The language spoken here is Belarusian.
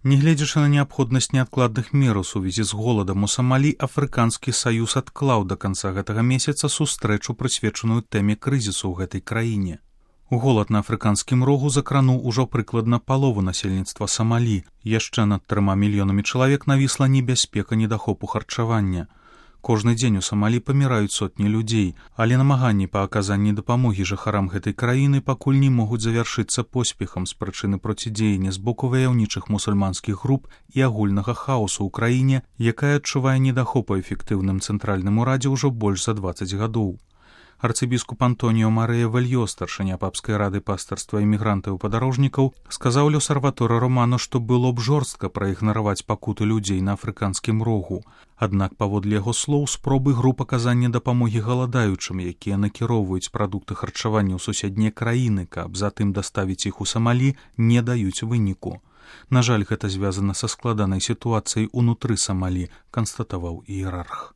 Нягледзячы на неабходнасць неадкладных мер у сувязі з голадам у Самалі, Афрыканскі саюз адклаў да канца гэтага месяца сустрэчу, прысвечаную тэме крызісу ў гэтай краіне. Голад на афрыканскім рогу закрануў ужо прыкладна палову насельніцтва Самалі. Яшчэ над 3 мільёнамі чалавек навісла небяспека недахопу харчавання. Кожны дзень у Самалі паміраюць сотні людзей, але намаганні па аказанні дапамогі жыхарам гэтай краіны пакуль не могуць завяршыцца поспехам з прычыны процідзеяння з боку ваяўнічых мусульманскіх груп і агульнага хаосу ў краіне, якая адчувае недахоп у эфектыўным цэнтральным урадзе ўжо больш за 20 гадоў. Арцыбіскуп Антоніо Марыя Вельё, старшыня папскай рады пастырства імігрантаў і падарожнікаў, сказаў Л'Осерваторе Романо, што было б жорстка праігнараваць пакуты людзей на афрыканскім рогу. Аднак, паводле яго слоў, спробы груп аказання дапамогі галадаючым, якія накіроўваюць прадукты харчавання ў суседнія краіны, каб затым даставіць іх у Самалі, не даюць выніку. На жаль, гэта звязана са складанай сітуацыяй унутры Самалі, канстатаваў іерарх.